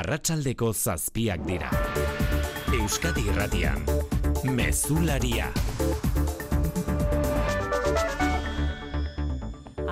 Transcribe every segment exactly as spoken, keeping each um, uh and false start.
Arratsaldeko zazpiak dira. Euskadi Irratian, Mezularia.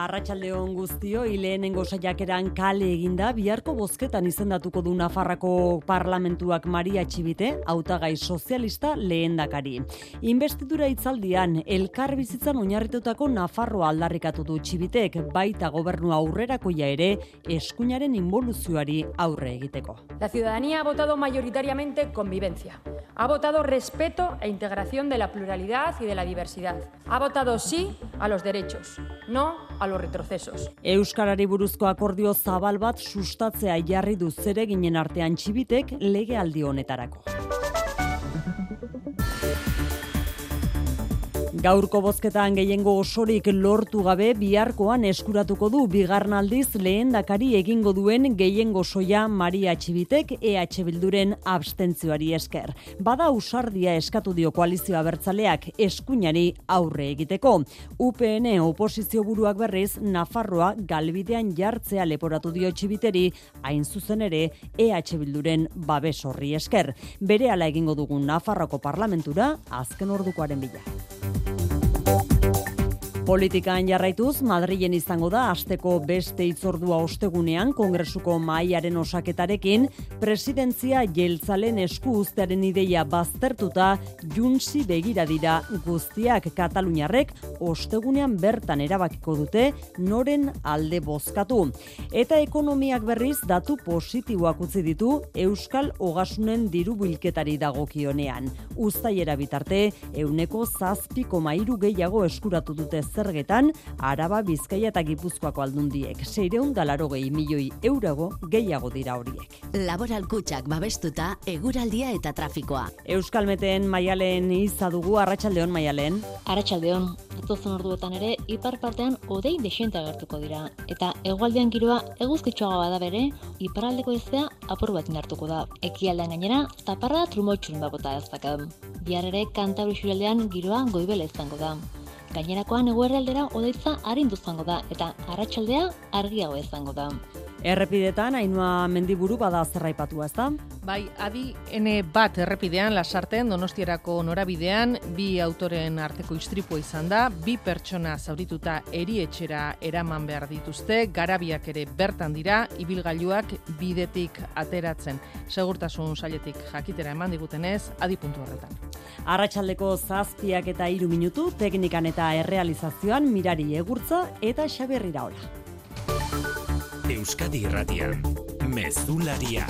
Arratsaldeon guztioi, lehenengo saiakeran kale eginda biharko bozketan izendatuko du Nafarroako Parlamentuak Maria Txibite, hautagai sozialista lehendakari. Investidura hitzaldian elkarbizitzan oinarritutako Nafarroa aldarrikatu du Txibitek, baita gobernu aurrerakoia ere eskuinaren inboluzioari aurre egiteko. La ciudadanía ha votado mayoritariamente convivencia. Ha votado respeto e integración de la pluralidad y de la diversidad. Ha votado sí a los derechos, no a los retrocesos. Euskarari buruzko akordio zabal bat sustatzea jarri du zereginen artean Txibitek legealdi honetarako. Gaurko bozketan gehiengo osorik lortu gabe biharkoan eskuratuko du bigarren aldiz lehendakari egingo duen gehiengo soia Maria Txibitek E H Bilduren abstentzioari esker. Bada ausardia eskatu dio koalizioa abertzaleak eskuinari aurre egiteko. U P N oposizio buruak berriz Nafarroa galbidean jartzea leporatu dio Txibiteri, hain zuzen ere E H Bilduren babes horri esker. Berehala egingo dugun Nafarroko parlamentura azken ordukoaren bila. Politikan jarraituz, Madrilen izango da asteko beste hitzordua ostegunean Kongresuko mahaiaren osaketarekin, presidentzia jeltzalen esku uztearen ideia baztertuta Junsi begira dira guztiak. Kataluniarrek ostegunean bertan erabakiko dute noren alde bozkatu. Eta ekonomiak berriz datu positiboak utzi ditu Euskal Ogasunen diru bilketari dagokionean. Uztailera bitarte, ehuneko zazpi koma hiru gehiago eskuratu dute zergetan, Araba, Bizkaia eta Gipuzkoako aldundiek. seiehun eta laurogei milioi euro gehiago dira horiek. Laboral kutxak babestuta, eguraldia eta trafikoa. Euskalmeten Maialen iza dugu, arratsaldeon Maialen. Arratsaldeon, datozen orduetan ere, ipar partean hodei dexente agertuko dira. Eta hegoaldean giroa eguzkitsuagoa bada bere, iparraldeko haizea apur bat indartuko da. Ekialdean gainera, zaparra trumotxun babota ezakad. Bihar ere, Kantabri isurialdean giroa goibela izango da. Gainerakoan eguerraldera hodeitza arindu izango da eta arratsaldea argiago izango da. Errepidetan Ainhoa Mendiburu bada zerraipatua, ezta? Bai, adi N bat errepidean Lasarten Donostierako norabidean bi autoren arteko istripua izan da, bi pertsona zaurituta erietxera eraman behar dituzte, garabiak ere bertan dira, ibilgailuak bidetik ateratzen. Segurtasun sailetik jakitera eman digutenez, adi puntu horretan. Arratsaldeko zazpiak eta hiru minutu, teknikan eta errealizazioan Mirari Egurtza eta Xabier Iraola. Euskadi Irratian, Mezularia.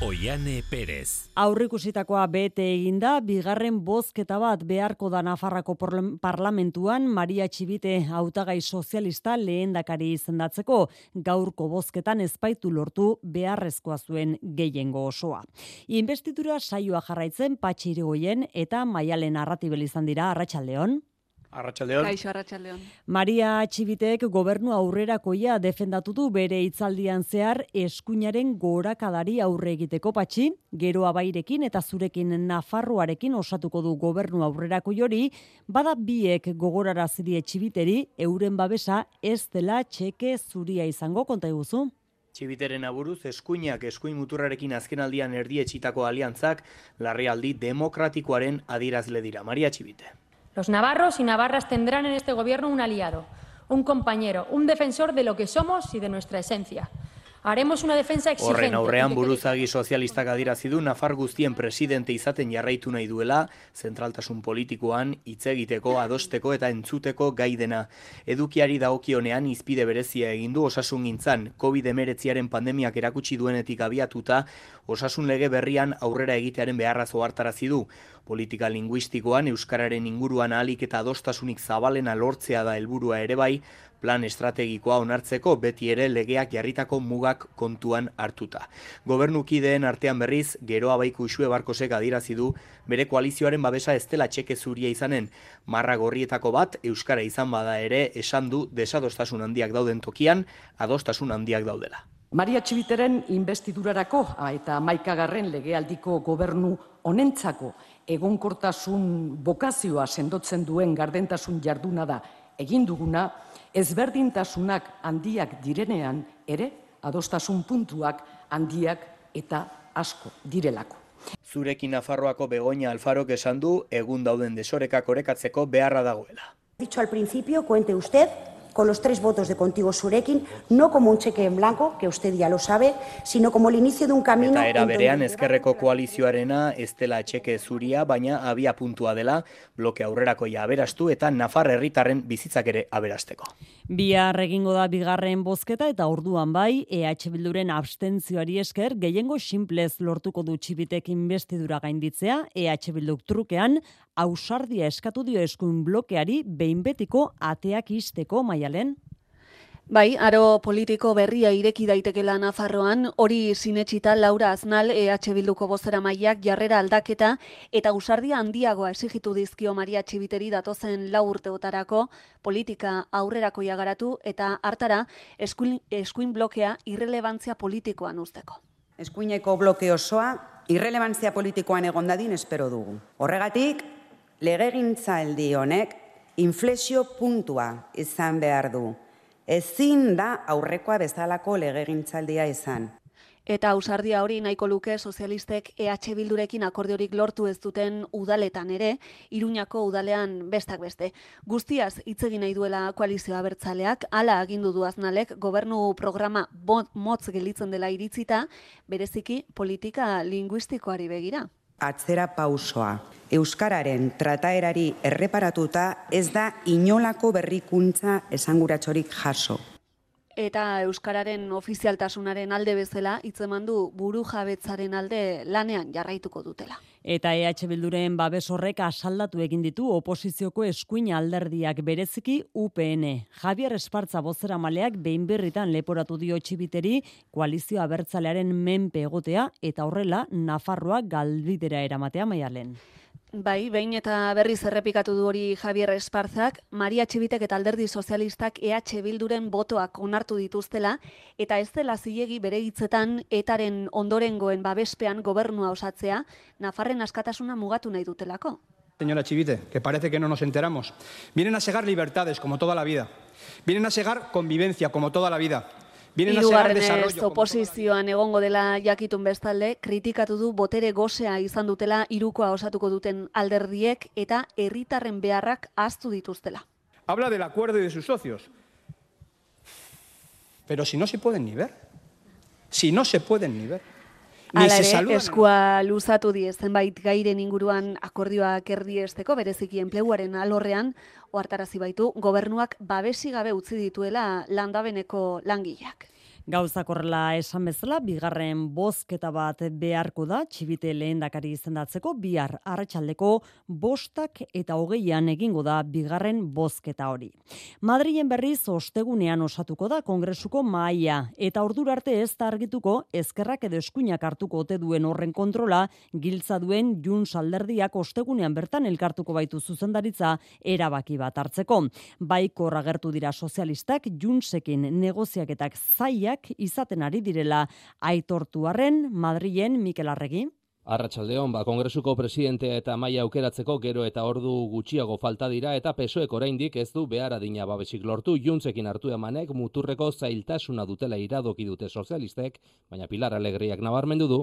Oiane Perez. Aurrikusitakoa bete eginda, bigarren bozketa bat beharko da Nafarrako parlamentuan Maria Txibite hautagai sozialista lehendakari izendatzeko. Gaurko bozketan ezbaitu lortu beharrezkoa zuen gehiengo osoa. Investidura saioa jarraitzen Patxi Irigoyen eta Maialen Arratibel izan dira. Arratsaldeon. Arratsaldeon. Kaixo, arratsaldeon. Maria Txibitek gobernu aurrerakoia defendatu du bere hitzaldian zehar eskuinaren gorakadari aurre egiteko. Patxi, gero abairekin eta zurekin Nafarroarekin osatuko du gobernu aurrerakoi hori, bada biek gogorarazi die Txibiteri euren babesa ez dela txeke zuria izango, konta iguzu. Txibiteren aburuz, eskuinak eskuin muturrarekin azkenaldian erdietxitako aliantzak larrialdi demokratikoaren adierazle dira. Maria Txibite. Los navarros y navarras tendrán en este gobierno un aliado, un compañero, un defensor de lo que somos y de nuestra esencia. Haremos una defensa exigente. Horren aurrean buruzagi sozialistak adierazi du Nafar guztien presidente izaten jarraitu nahi duela, zentraltasun politikoan hitz egiteko, adosteko eta entzuteko gai dena. Edukiari dagokionean izpide berezia egin du osasungintzan, covid hemeretziaren pandemiak erakutsi duenetik abiatuta, osasun lege berrian aurrera egitearen beharraz ohartarazi du. Politika linguistikoan euskararen inguruan ahalik eta adostasunik zabalena lortzea da helburua ere bai, plan estrategikoa onartzeko beti ere legeak jarritako mugak kontuan hartuta. Gobernukideen artean berriz, Geroa Baiku Uxue Barkosek adierazi du bere koalizioaren babesa ez dela txeke zuria izanen. Marra gorrietako bat euskara izan bada ere esan du desadostasun handiak dauden tokian, adostasun handiak daudela. Maria Txibiteren investidurarako eta hamaikagarren legealdiko gobernu honentzako egonkortasun bokazioa sendotzen duen gardentasun jarduna da egin duguna, ezberdintasunak handiak direnean ere adostasun puntuak handiak eta asko direlako. Zurekin Nafarroako Begoña Alfarok esan du egun dauden desorekak orekatzeko beharra dagoela. Dicho al principio, cuente usted con los tres votos de Contigo Zurekin, no como un cheque en blanco, que usted ya lo sabe, sino como el inicio de un camino... Eta era berean ezkerreko koalizioarena ez dela txeke zuria, baina abia puntua dela, bloke aurrerakoia aberastu eta Nafar herritarren bizitzak ere aberasteko. Bihar egingo da bigarren bozketa eta orduan bai, E H Bilduren abstentzioari esker, gehiengo sinplez lortuko du Txibitek inbestidura gainditzea, E H Bilduk trukean, ausardia eskatu dio eskuin blokeari behin betiko ateak isteko. Maialen. Bai, aro politiko berria ireki daitekela Nafarroan, hori sinetsita Laura Aznal E H Bilduko bozeramaileak jarrera aldaketa eta ausardia handiagoa exigitu dizkio Maria Txibiteri datozen lau urteotarako politika aurrerakoia garatu eta hartara eskuin, eskuin blokea irrelebantzia politikoan uzteko. Eskuineko bloke osoa irrelebantzia politikoan egon dadin espero dugu. Horregatik, legegintzaldi honek inflexio puntua izan behar du. Ezin da aurrekoa bezalako legegintzaldia izan. Eta ausardia hori nahiko luke sozialistek E H Bildurekin akordiorik lortu ez duten udaletan ere, Iruñako udalean bestak beste. Guztiaz hitz egin nahi duela koalizio abertzaleak, hala agindu du Aznalek gobernu programa motz gelditzen dela iritzita, bereziki politika linguistikoari begira. Atzera pausoa. Euskararen trataerari erreparatuta ez da inolako berrikuntza esanguratsorik jaso. Eta euskararen ofizialtasunaren alde bezala hitzeman du burujabetzaren alde lanean jarraituko dutela. Eta E H Bilduren babes horrek asaldatu egin ditu oposizioko eskuin alderdiak bereziki U P N. Javier Espartza bozeramaleak behin berritan leporatu dio Txibiteri koalizio abertzalearen menpe egotea eta horrela Nafarroa galbidera eramatea. Maialen. Bai, behin eta berriz errepikatu du hori Javier Esparzak, Maria Txibitek eta Alderdi Sozialistak E H Bilduren botoak onartu dituztela, eta ez dela zilegi bere hitzetan etaren ondorengoen babespean gobernua osatzea, Nafarren askatasuna mugatu nahi dutelako. Señora Chivite, que parece que no nos enteramos. Vienen a segar libertades, como toda la vida. Vienen a segar convivencia, como toda la vida. Hirugarrenez oposizioan egongo dela jakitun bestalde, kritikatu du botere gosea izan dutela hirukoa osatuko duten alderdiek eta herritarren beharrak ahaztu dituztela. Habla del acuerdo y de sus socios. Pero si no se pueden ni ver. Si no se pueden ni ver. Hala ere, eskua luzatu die zenbait gairen inguruan akordioak erdiesteko, bereziki enpleguaren alorrean, ohartarazi baitu gobernuak babesi gabe utzi dituela landabeneko langileak. Gauzak horrela esan bezala, bigarren bozketa bat beharko da, Txibite lehendakari izendatzeko, bihar arratsaldeko bostak eta hogeian egingo da bigarren bozketa hori. Madrilen berriz ostegunean osatuko da Kongresuko mahaia, eta ordura arte ez da argituko ezkerrak edo eskuinak hartuko ote duen horren kontrola, giltza duen Junts alderdiak ostegunean bertan elkartuko baitu zuzendaritza erabaki bat hartzeko. Baikor agertu dira sozialistak Juntsekin negoziaketak zaiak izaten ari direla aitortu arren, Madrilen Mikel Arregi. Arratsaldeon, ba, Kongresuko presidentea eta mahaia aukeratzeko gero eta ordu gutxiago falta dira eta P S O Ek oraindik ez du behar adina babesik lortu. Juntsekin hartu emanek muturreko zailtasuna dutela iradoki dute sozialistek, baina Pilar Alegriak nabarmendu du.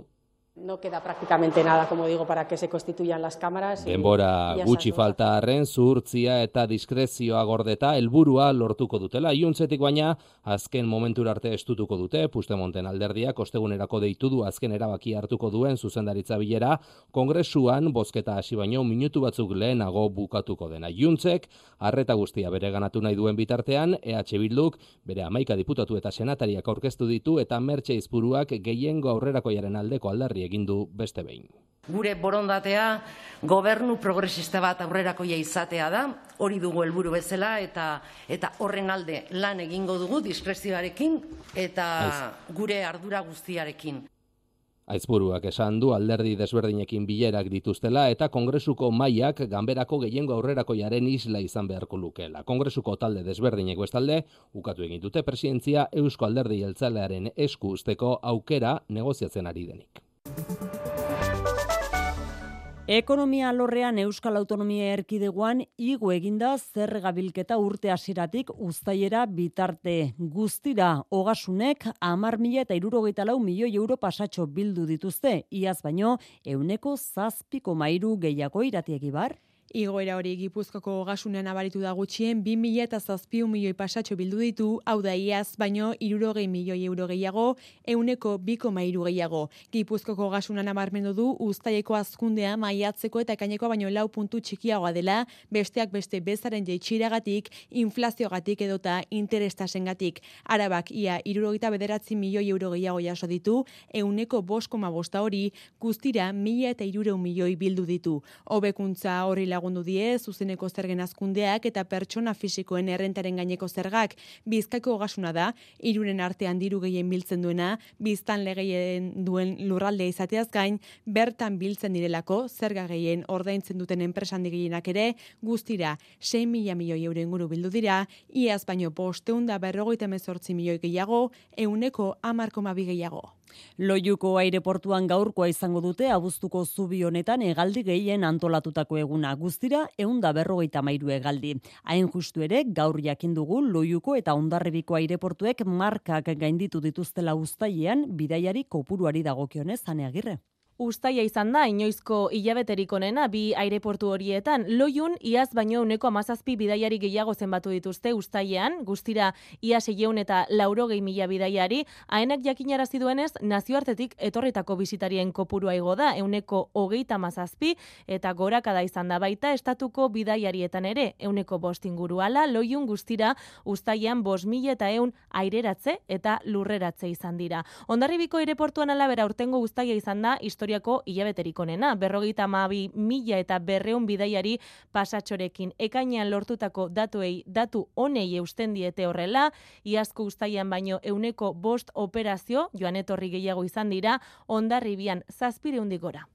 No queda prácticamente nada, como digo, para que se constituyan las cámaras. Denbora gutxi falta arren, zuhurtzia eta diskrezioa gordeta helburua lortuko dutela. Juntsetik baina, azken momentura arte estutuko dute, Puigdemonten alderdiak ostegunerako deitu du azken erabaki hartuko duen zuzendaritza bilera, Kongresuan bozketa hasi baino minutu batzuk lehenago bukatuko dena. Juntsek, arreta guztia bere ganatu nahi duen bitartean, E H Bilduk bere hamaika diputatu eta senatariak aurkeztu ditu eta Mertxe Izpuruak gehiengo aurrerakoiaren aldeko aldarri egin du beste behin. Gure borondatea gobernu progresista bat aurrerakoia izatea da, hori dugu helburu bezala eta eta horren alde lan egingo dugu diskrezioarekin eta gure ardura guztiarekin. Aizpuruak esan du alderdi desberdinekin bilerak dituztela eta Kongresuko mahaiak ganberako gehiengo aurrerakoiaren isla izan beharko lukeela. Kongresuko talde desberdinek bestalde ukatu egin dute presidentzia Eusko Alderdi Jeltzalearen esku uzteko aukera negoziatzen ari denik. Ekonomia alorrean Euskal Autonomia Erkidegoan igo eginda zerga bilketa urte hasieratik uztailera bitarte. Guztira Ogasunek hamar mila eta hirurogeita lau milioi euro pasatxo bildu dituzte, iaz baino ehuneko zazpi koma hiru gehiago. Irati Egibar. Igoera hori Gipuzkoako Ogasunean nabaritu da gutxien bi mila zazpi milioi pasatxo bildu ditu, hau da iaz baino hirurogei milioi euro gehiago, ehuneko bi koma hiru gehiago. Gipuzkoako Ogasuna nabarmendu du uztaileko hazkundea maiatzeko eta ekaineko baino lau puntu txikiagoa dela, besteak beste bezaren jaitsieragatik, inflaziogatik edota interestasengatik. Arabak ia hirurogeita bederatzi milioi euro gehiago jaso ditu, ehuneko bost koma bosta hori, guztira mila eta hirurehun milioi bildu ditu. Hobekuntza horri lagundu die zuzeneko zergen hazkundeak eta pertsona fisikoen errentaren gaineko zergak. Bizkaiko Ogasuna da hiruren artean diru gehien biltzen duena, biztan legeen duen lurraldea izateaz gain, bertan biltzen direlako zerga gehien ordaintzen duten enpresan gehienak ere, guztira sei mila milioi euro inguru bildu dira, iaz baino bostehun eta berrogeita hemezortzi milioi gehiago, ehuneko hamar koma bi gehiago. Loiuko aireportuan gaurkoa izango dute abuztuko zubi honetan hegaldi gehien antolatutako eguna. Guztira ehun eta berrogeita hamairu hegaldi. Hain justu ere gaur jakin dugu Loiuko eta Hondarribiko aireportuek markak gainditu dituztela uztailean bidaiari kopuruari dagokionez. Ane Agirre. Uztaila izan da inoizko hilabeterik onena bi aireportu horietan. Loiun iaz baino ehuneko hamazazpi bidaiari gehiago zenbatu dituzte uztailean, guztira ia seiehun eta laurogei mila bidaiari. Haenak jakinarazi duenez, nazioartetik etorritako bisitarien kopurua igo da ehuneko hogeita hamazazpi eta gorakada izan da baita estatuko bidaiarietan ere ehuneko bost inguru. Hala, Loiun guztira uztailean bost mila eta ehun aireratze eta lurreratze izan dira. Hondarribiko aireportuan alabera urtengo uztaila izan da historiako hilabeterik onena, berrogeita hamabi mila eta berrehun bidaiari pasatxorekin. Ekainean lortutako datuei datu honei eusten diete horrela, iazko uztailean baino ehuneko bost operazio joan etorri gehiago izan dira, Hondarribian zazpireundik gora.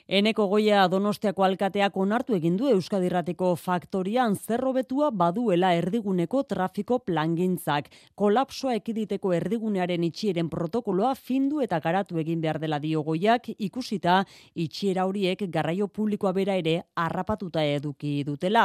Eneko Goia Donostiako alkateak onartu egin du Euskadi Irratiko faktorian zer hobetua baduela erdiguneko trafiko plangintzak. Kolapsoa ekiditeko erdigunearen itxieren protokoloa findu eta garatu egin behar dela dio Goiak, ikusita itxiera horiek garraio publikoa bera ere harrapatuta eduki dutela.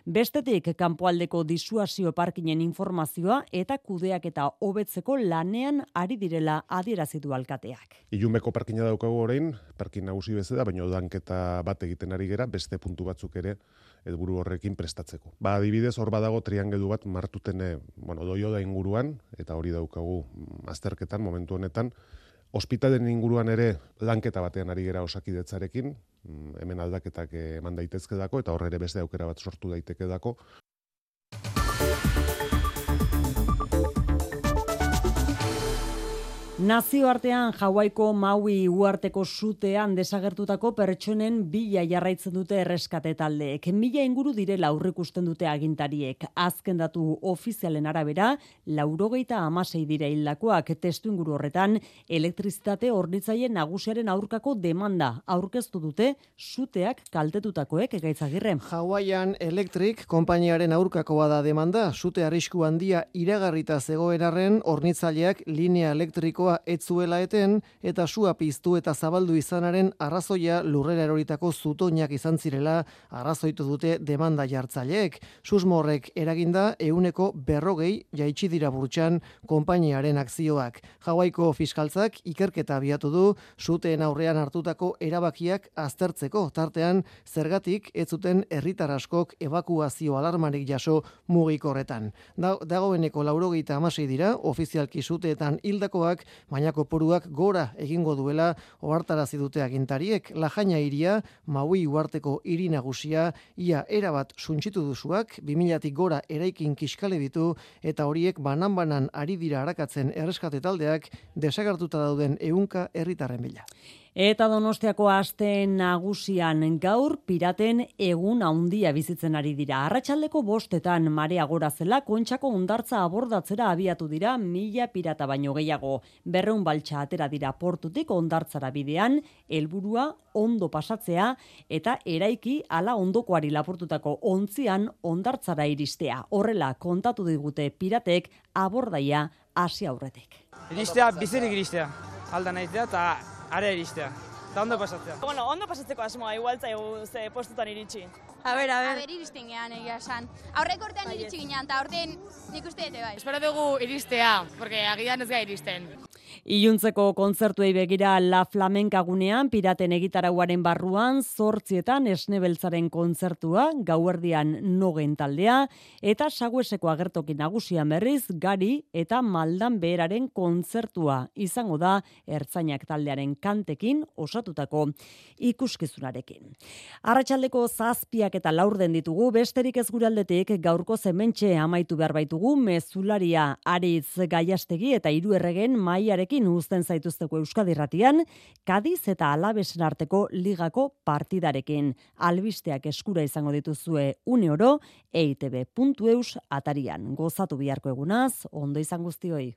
Bestetik, kanpoaldeko disuasio parkinen informazioa eta kudeak eta hobetzeko lanean ari direla adierazi du alkateak. Ilunbeko parkina daukagu orain, parkin nagusi bezala, baina danketa bat egiten ari gera, beste puntu batzuk ere helburu horrekin prestatzeko. Ba, adibidez, hor badago triangelu bat martuten, bueno, doio da inguruan, eta hori daukagu azterketan, momentu honetan, ospitalen inguruan ere lanketa batean ari gera Osakidetzarekin, hemen aldaketak eman daitezke dako, eta hor ere beste aukera bat sortu daiteke dako. Nazioartean Hawaiko Maui uharteko sutean desagertutako pertsonen bila jarraitzen dute erreskate taldeek. Mila inguru direla aurreikusten dute agintariek. Azken datu ofizialen arabera, laurogeita hamasei dira hildakoak. Testuinguru horretan, elektrizitate hornitzaile nagusiaren aurkako demanda aurkeztu dute suteak kaltetutakoek. Gaitzagirre. Hawaiian Electric konpainiaren aurkakoa da demanda. Sute arrisku handia iragarrita zegoen arren hornitzaileak linea elektriko etzuela eten eta sua piztu eta zabaldu izanaren arrazoia lurrera eroritako zutoinak izan zirela arrazoitu dute demanda jartzaileek. Susmo horrek eraginda ehuneko berrogei jaitsi dira burtsan konpainiaren akzioak. Hawaiko fiskaltzak ikerketa abiatu du suteen aurrean hartutako erabakiak aztertzeko, tartean zergatik ez zuten herritar askok ebakuazio alarmarik jaso mugikorretan. Da, dagoeneko laurogeita hamasei dira ofizialki suteetan hildakoak, baina kopuruak gora egingo duela ohartarazi dute agintariek. Lajaina hiria, Maui uharteko hiri nagusia, ia erabat suntsitu duzuak, bi milatik gora eraikin kiskale ditu, eta horiek banan-banan ari dira arakatzen erreskate taldeak desagertuta dauden ehunka herritarren bila. Eta Donostiako aste nagusian gaur piraten egun handia bizitzen ari dira. Arratsaldeko bostetan marea gora zela Kontxako hondartza abordatzera abiatu dira mila pirata baino gehiago. Berreun baltsa atera dira portutik hondartzara bidean, helburua ondo pasatzea eta eraiki ala ondokoari lapurtutako ontzian hondartzara iristea. Horrela kontatu digute piratek abordaia hasi aurretik. Iristea, bizirik iristea. Alda nahitea eta area iristea. eta ondo pasatzea. Bueno, ondo pasatzeko asmoa, igual zaigu ze postutan iritsi. A ber, a ber. A ber, iristen gehan egia esan. Aurreko urtean iritsi ginean, eta aurten nik uste dute bai. Espero dugu iristea, porque agian ez gai iristen. Iluntzeko kontzertuei begira La Flamenca gunean, piraten egitarauaren barruan, zortzietan esnebeltzaren kontzertua, gauerdian nogen taldea, eta sagueseko agertoki nagusian berriz, gari eta maldan beheraren kontzertua izango da ertzainak taldearen kantekin osatutako ikuskizunarekin. Arratsaldeko zazpiak eta laurden ditugu, besterik ez gure aldetik gaurko zementxe amaitu behar baitugu, mezularia Aritz Gaiastegi eta hiru erregen maiarekin uzten zaituzteko Euskadi Irratian, Kadiz eta Alabesen arteko ligako partidarekin. Albisteak eskura izango dituzue une oro, e i te be puntu eus atarian. Gozatu biharko egunaz, ondo izan guztioi.